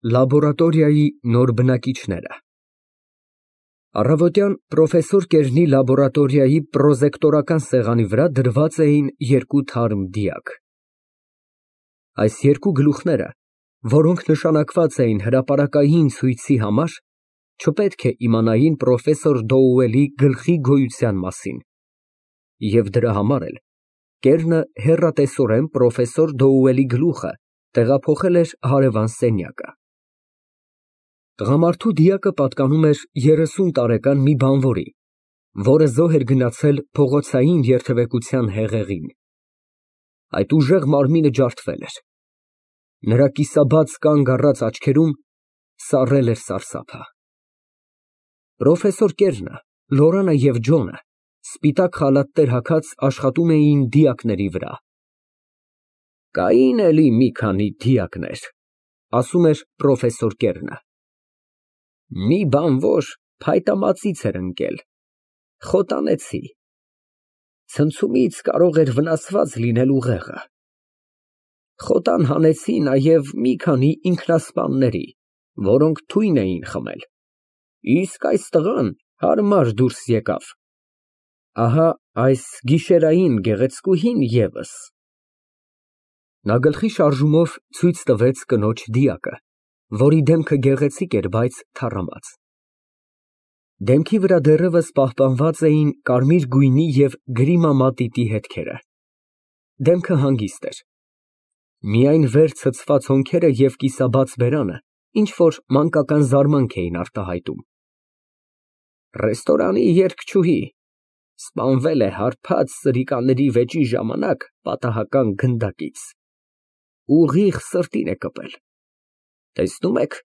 Լաբորատորիայի նոր բնակիչները։ Առավոտյան պրոֆեսոր Կերնի լաբորատորիայի պրոզեկտորական սեղանի վրա դրված էին երկու թարմ դիակ։ Այս երկու գլուխները, որոնք նշանակված էին հրապարակային ցույցի համար, չպետք է իմանային պրոֆեսոր Դոուելի գլխի գոյության մասին, և դրա համար էլ Կերնը հեռատեսորեն պրոֆեսոր Դոուելի գլուխը տեղափոխել էր հարևան սենյակը։ Տղամարդու դիակը պատկանում էր 30 տարեկան մի բանվորի, որը զոհ էր գնացել փողոցային երթևեկության հեղեղին։ Այդ ուժեղ մարմինը ջարդվել էր։ Նրա կիսաբաց կանգ առած աչքերում սառել էր սարսափը։ Պրոֆեսոր Կերնը, Լորանա և Ջոնը սպիտակ խալաթներ հագած աշխատում էին դիակների վրա։ Կային էլի մի քանի դիակներ, ասում էր պրոֆեսոր Կերնը։ Մի բանվոր փայտամածից էր ընկել, խոտանեցի, ցնցումից կարող էր վնասված լինել ուղեղը։ Խոտան հանեցի նաև մի քանի ինքնասպանների, որոնք թույն էին խմել, իսկ այս տղան հարմար դուրս եկավ։ Ահա այս գիշերային գեղեցկուհին ևս։ Նա գլխի շարժումով ցույց տվեց կնոջ դիակը, որի դեմքը գեղեցիկ էր, բայց թառամած։ Դեմքի վրա դեռևս պահպանված էին կարմիր գույնի և գրիմա մատիտի հետքերը։ Դեմքը հանգիստ էր։ Միայն վեր ցցված հոնքերը և կիսաբաց բերանը ինչ֊որ մանկական զարմանք էին արտահայտում։ Ռեստորանի երգչուհի, սպանվել է հարբած սրիկաների վեճի ժամանակ պատահական գնդակից, ուղիղ սրտին է կպել, տեսնում եք,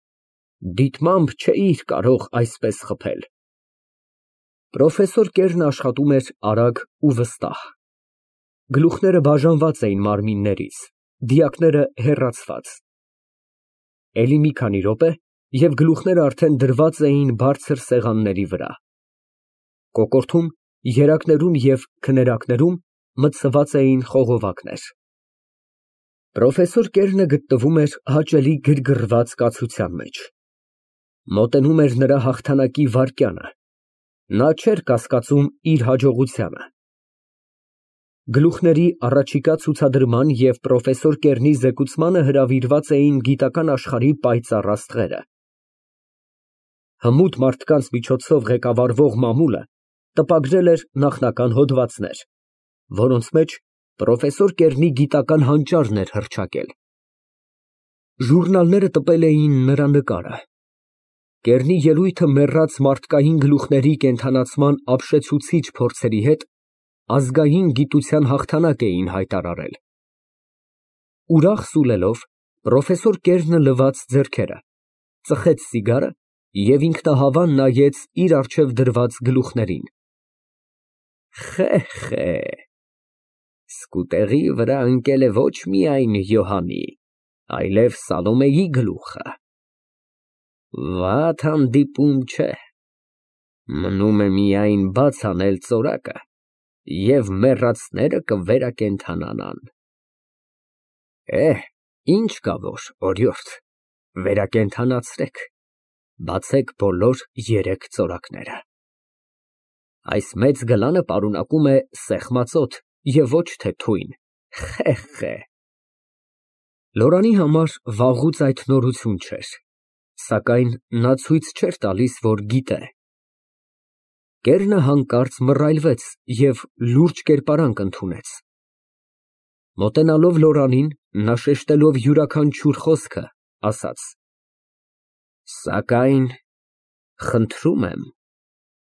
դիտմամբ չէիր կարող այսպես խփել։ Պրոֆեսոր Կերնը աշխատում էր արագ ու վստահ։ Գլուխները բաժանված էին մարմիններից, դիակները հեռացված։ Էլի մի քանի րոպե, և գլուխները արդեն դրված էին բարձր սեղանների վրա։ Կոկորդում, երակներում և քներակներում մտցված էին խողովակներ։ Պրոֆեսոր Կերնը գտնվում էր հաճելի գրգռված կացության մեջ։ Մոտենում էր նրա հաղթանակի վայրկյանը։ Նա չէր կասկածում իր հաջողությանը։ Գլուխների առաջիկա ցուցադրման և պրոֆեսոր Կերնի զեկուցմանը հրավիրված էին գիտական աշխարհի պայծառ աստղերը։ Հմուտ մարդկանց միջոցով ղեկավարվող մամուլը տպագրել էր նախնական հոդվածներ, որոնց մեջ պրոֆեսոր Կերնի գիտական հանճարն էր հռչակել։ Ժուրնալները տպել էին նրա նկարը։ Կերնի ելույթը մեռած մարդկային գլուխների կենդանացման ապշեցուցիչ փորձերի հետ ազգային գիտության հաղթանակ էին հայտարարել։ Ուրախ սուլելով, պրոֆեսոր Կերնը լվաց ձեռքերը, ծխեց սիգարը և ինքնահավան նայեց իր առջև դրված գլուխներին։ Խե, սկուտեղի վրա ընկել է ոչ միայն Յոհանի, այլև Սալոմեի գլուխը։ Վատ հանդիպում չէ։ Մնում է միայն բաց անել ծորակը, և մեռածները կվերակենդանանան։ Ինչ կա որ, օրիորդ, վերակենդանացրեք, բացեք բոլոր 3 ծորակները։ Այս մեծ գլանը պարունակում է սեղմածոտ և ոչ թե թույն։ Խե։ Լորանի համար վաղուց այդ նորություն չէր, սակայն նա ցույց չէր տալիս, որ գիտե։ Կերնը հանկարծ մռայլվեց և լուրջ կերպարանք ընդունեց։ Մոտենալով Լորանին, նա շեշտելով յուրաքանչյուր խոսքը, ասաց. Սակայն խնդրում եմ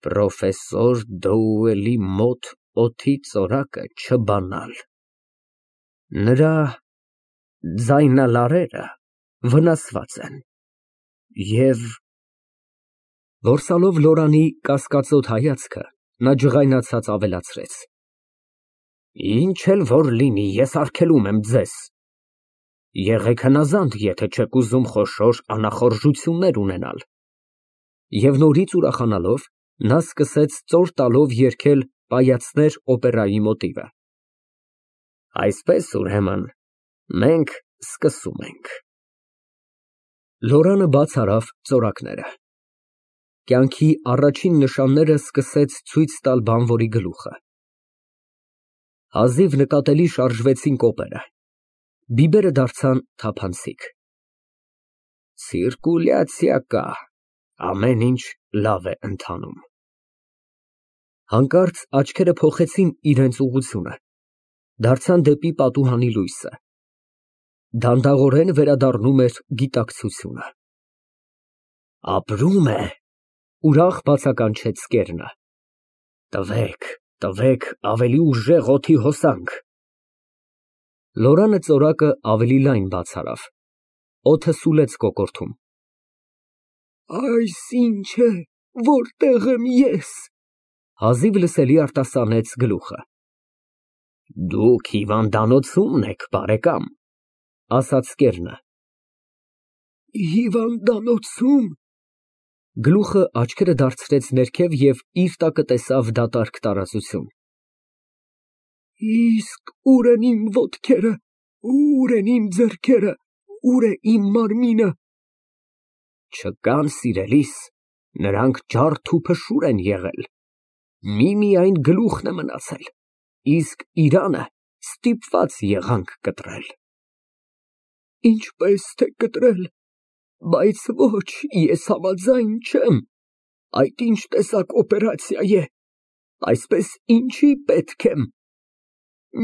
պրոֆեսոր Դոուելի մոտ օդի ծորակը չբանալ։ Նրա ձայնալարերը վնասված են և… Որսալով Լորանի կասկածոտ հայացքը, նա ջղայնացած ավելացրեց. Ինչ էլ որ լինի, ես արգելում եմ ձեզ։ Եղեք հնազանդ, եթե չեք ուզում խոշոր անախորժություններ ունենալ։ Եվ նորից ուրախանալով, նա սկսեց ծոր տալով երգել Պայացներ օպերայի մոտիվը։ Այսպես, ուրեմն, մենք սկսում ենք։ Լորանը բաց արավ ծորակները։ Կյանքի առաջին նշանները սկսեց ցույց տալ բանվորի գլուխը։ Հազիվ նկատելի շարժվեցին կոպերը, բիբերը դարձան թափանցիկ։ Ցիրկուլյացիա կա, ամեն ինչ լավ է ընթանում։ Հանկարծ աչքերը փոխեցին իրենց ուղղությունը, դարձան դեպի պատուհանի լույսը։ Դանդաղորեն վերադառնում էր գիտակցությունը։ Ապրում է, ուրախ բացականչեց Կերնը։ Տվեք ավելի ուժեղ օդի հոսանք։ Լորանը ծորակը ավելի լայն բաց արավ։ Օդը սուլեց կոկորդում։ Այս ինչ է, որտեղ եմ ես։ Հազիվ լսելի արտասանեց գլուխը։ Դուք հիվանդանոցումն եք, բարեկամ, ասաց Կերնը։ Հիվանդանոցում։ Գլուխը աչքերը դարձրեց ներքև և իր տակը տեսավ դատարկ տարածություն։ Իսկ ուր են իմ ոտքերը, ուր են իմ ձեռքերը, ուր է իմ մարմինը։ Չկան, սիրելիս, նրանք ջարդ ու փշուր են եղել, միմիայն գլուխն է մնացել, իսկ իրանը ստիպված եղանք կտրել։ Ինչպես թե կտրել, բայց ոչ, ես համաձայն չեմ, այդ ինչ տեսակ օպերացիա է, այսպես ինչի պետք եմ։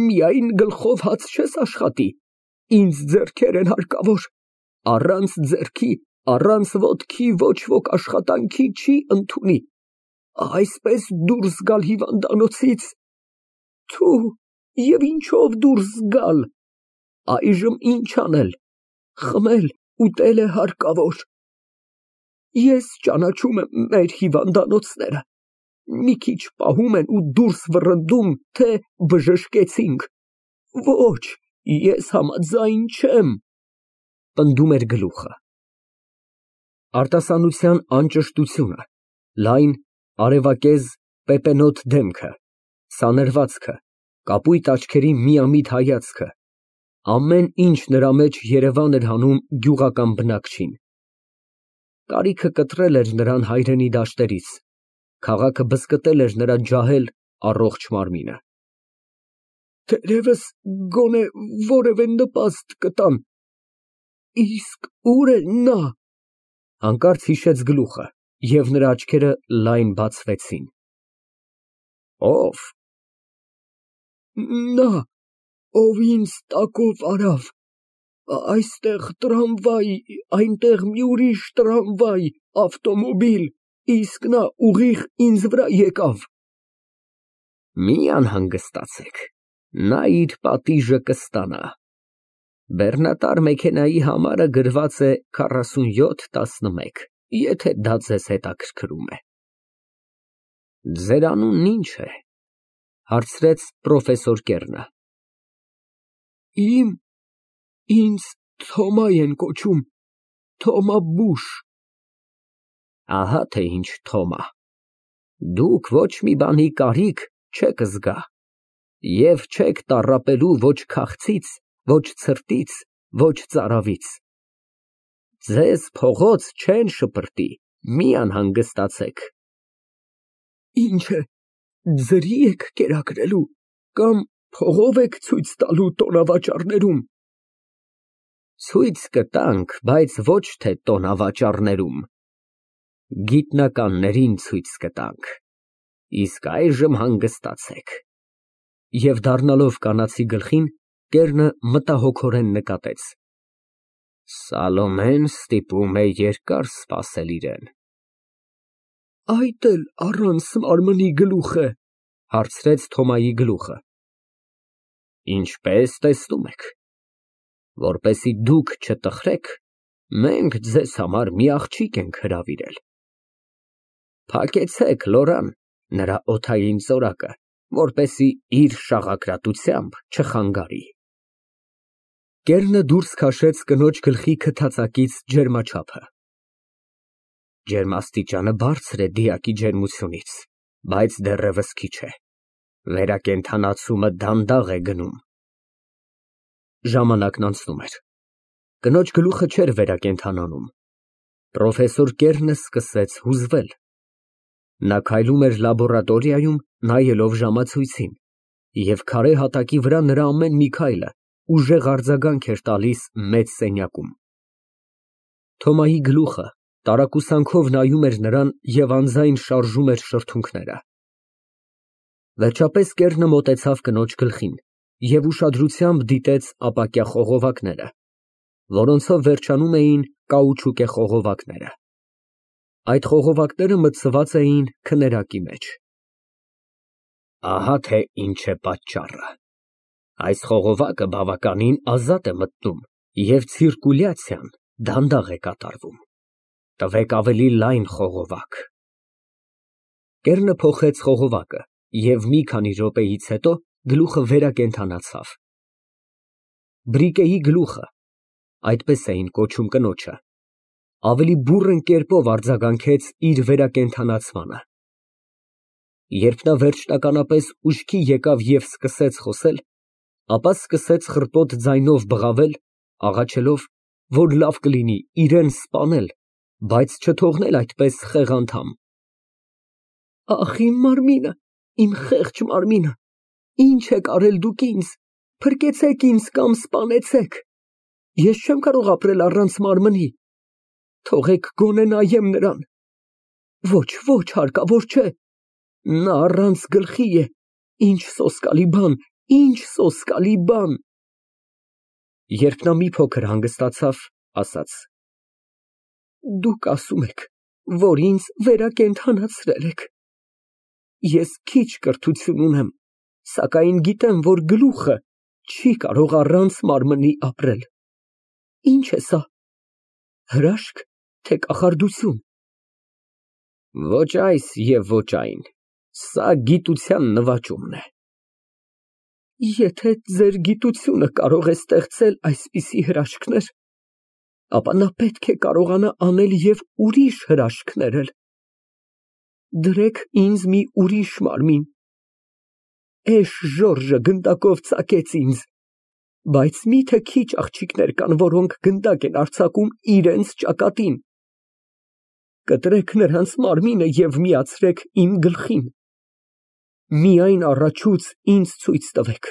Միայն գլխով հաց չես աշխատի, ինձ ձեռքեր են հարկավոր, առանց ձեռքի, առանց ոտքի ոչ ոք աշխատանքի չի ընդունի, այսպես դուրս գալ հիվանդանոցից, թու, և ինչով դուրս գալ, այժմ ինչ անել, խմել, ուտել է հարկավոր։ Ես ճանաչում եմ մեր հիվանդանոցները, մի քիչ պահում են ու դուրս վռնդում, թե բժշկեցինք, ոչ, ես համաձայն չեմ, պնդում էր գլուխը։ Արտասանության անճշտությունը, լայն, արևակեզ, պեպենոտ դեմքը, սանրվածքը, կապույտ աչքերի միամիտ հայացքը, ամեն ինչ նրա մեջ երևան էր հանում գյուղական բնակչին։ Կարիքը կտրել էր նրան հայրենի դաշտերից, քաղաքը բզկտել էր նրա ջահել, առողջ մարմինը։ Թերևս գոնե որևէ նպաստ կտան, իսկ ուր է նա։ Հանկարծ հիշեց գլուխը, և նրա աչքերը լայն բացվեցին։ Ո՞վ։ Նա, ով ինձ տակով արավ, այստեղ տրամվայ, այնտեղ մի ուրիշ տրամվայ, ավտոմոբիլ, իսկ նա ուղիղ ինձ վրա եկավ։ Մի անհանգստացեք, նա իր պատիժը կստանա։ Բեռնատար մեքենայի համարը գրված է 4711, եթե դա ձեզ հետաքրքրում է։ Ձեր անունն ինչ է, հարցրեց պրոֆեսոր Կերնը։ Ինձ Թոմա են կոչում, Թոմա Բուշ։ Ահա թե ինչ Թոմա, դուք ոչ մի բանի կարիք չեք զգա, և չեք տառապելու ոչ քաղցից, ոչ ցրտից, ոչ ծարավից։ Ձեզ փողոց չեն շպրտի, մի անհանգստացեք։ Ինչ է, ձրի եք կերակրելու, կամ փողով եք ցույց տալու տոնավաճառներում։ Ցույց կտանք, բայց ոչ թե տոնավաճառներում, գիտնականներին ցույց կտանք, իսկ այժմ հանգստացեք։ Եվ դառնալով կանացի գլխին, Կերնը մտահոգորեն նկատեց. Սալոմեն ստիպում է երկար սպասել իրեն։ Այդ էլ առանց մարմնի գլուխ է, հարցրեց Թոմայի գլուխը։ Ինչպես տեսնում եք, որպեսզի դուք չտխրեք, մենք ձեզ համար մի աղջիկ ենք հրավիրել։ Փակեցեք Լորան, նրա օդային ծորակը, որպեսզի իր շաղակրատությամբ չխանգարի։ Կերնը դուրս քաշեց կնոջ գլխի քթածակից ջերմաչափը։ Ջերմաստիճանը բարձր է դիակի ջերմությունից, բայց դեռևս քիչ է։ Վերակենդանացումը դանդաղ է գնում։ Ժամանակն անցնում էր։ Կնոջ գլուխը չէր վերակենդանանում, Պրոֆեսոր Կերնը սկսեց հուզվել։ Նա քայլում էր լաբորատորիայում, նայելով ժամացույցին, և քարե հատակի վրա նրա ամեն մի քայլը ուժեղ արձագանք էր տալիս մեծ սենյակում։ Թոմայի գլուխը տարակուսանքով նայում էր նրան և անձայն շարժում էր շրթունքները։ Վերջապես Կերնը մոտեցավ կնոջ գլխին և ուշադրությամբ դիտեց ապակյա խողովակները, որոնցով վերջանում էին կաուչուկե խողովակները։ Այդ խողովակները մտցված էին քներակի մեջ։ Ահա թե ինչ է պատճառը։ Այս խողովակը բավականին ազատ է մտնում և ցիրկուլյացիան դանդաղ է կատարվում։ Տվեք ավելի լայն խողովակ։ Կերնը փոխեց խողովակը և մի քանի րոպեից հետո գլուխը վերակենդանացավ։ Բրիկեի գլուխը, այդպես էին կոչում կնոջը, ավելի բուռն կերպով արձագանքեց իր վերակենդանացմանը։ Երբ նա վերջնականապես ուշքի եկավ և սկսեց խոսել, ապա սկսեց խռպոտ ձայնով բղավել, աղաչելով, որ լավ կլինի իրան սպանել, բայց չթողնել այդպես խեղանդամ։ Ախ, իմ մարմինը, իմ խեղճ մարմինը, ինչ եք արել դուք ինձ, փրկեցեք ինձ կամ սպանեցեք, ես չեմ կարող ապրել առանց մարմնի, թողեք գոնե նայեմ նրան, ոչ, ոչ, հարկավոր չէ, նա առանց գլխի է, ինչ սոսկալի բան, ինչ սոսկալի բան։ Երբ նա մի փոքր հանգստացավ, ասաց. Դուք ասում եք, որ ինձ վերակենդանացրել եք։ Ես քիչ կրթություն ունեմ, սակայն գիտեմ, որ գլուխը չի կարող առանց մարմնի ապրել։ Ինչ է սա, հրաշք, թե կախարդություն։ Ոչ այս և ոչ այն, սա գիտության նվաճումն է։ Եթե ձեր գիտությունը կարող է ստեղծել այսպիսի հրաշքներ, ապա նա պետք է կարողանա անել և ուրիշ հրաշքներ էլ։ Դրեք ինձ մի ուրիշ մարմին։ Էշ Ժորժը գնդակով ծակեց ինձ, բայց մի՞թե քիչ աղջիկներ կան, որոնք գնդակ են արձակում իրենց ճակատին։ Կտրեք նրանց մարմինը և միացրեք իմ գլխին։ Միայն առաջուց ինձ ցույց տվեք։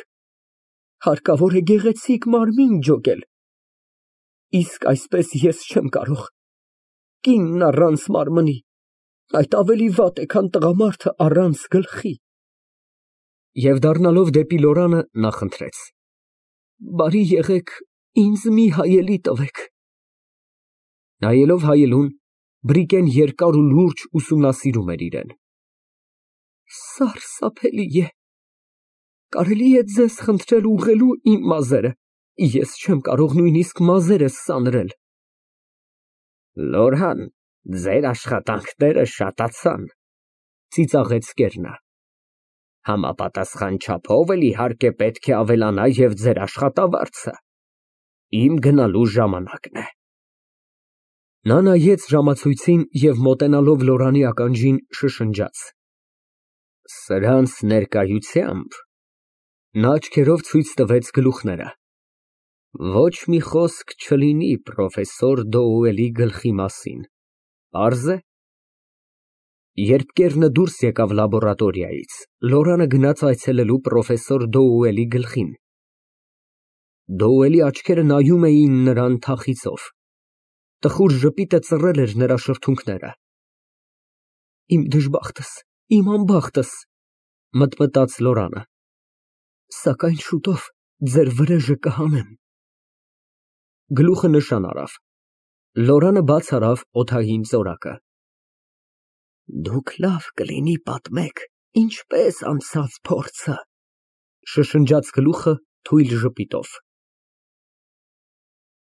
Հարկավոր է գեղեցիկ մարմին ջոկել։ Իսկ այսպես ես չեմ կարող։ Կինն առանց մարմնի, այդ ավելի վատ է, քան տղամարդը առանց գլխի։ Եվ դառնալով դեպի Լորանը, նա խնդրեց. Բարի եղեք, ինձ մի հայելի տվեք։ Նայելով հայելուն, Բրիկեն երկար ու լուրջ ուսումնասիրում էր իրան։ Սարսափելի է։ Կարելի է ձեզ խնդրել ուղղելու իմ մազերը, ես չեմ կարող նույնիսկ մազերս սանրել։ Լորհան, ձեր աշխատանքները շատացան, ծիծաղեց Կերնը։ Համապատասխան չափով էլ իհարկե պետք է ավելանա և ձեր աշխատավարձը։ Իմ գնալու ժամանակն է։ Նա նայեց ժամացույցին և մոտենալով Լորանի ականջին շշնջաց. Սրանց ներկայությամբ նա աչքերով ցույց տվեց գլուխները։ Ոչ մի խոսք չլինի պրոֆեսոր Դոուելի գլխի մասին, պարզ է։ Երբ Կերնը դուրս եկավ լաբորատորիայից, Լորանը գնաց այցելելու պրոֆեսոր Դոուելի գլխին։ Դոուելի աչքերը նայում էին նրան թախիծով։ Տխուր ժպիտը ծռել էր նրա շրթունքները։ Իմ դժբախտս, իմ անբախտս, մտմտաց Լորանը, սակայն շուտով ձեր վրեժը կհանեմ։ Գլուխը նշան արավ։ Լորանը բաց արավ օդային ծորակը։ Դուք լավ կլինի պատմեք, ինչպես անցավ փորձը, շշնջաց գլուխը թույլ ժպիտով։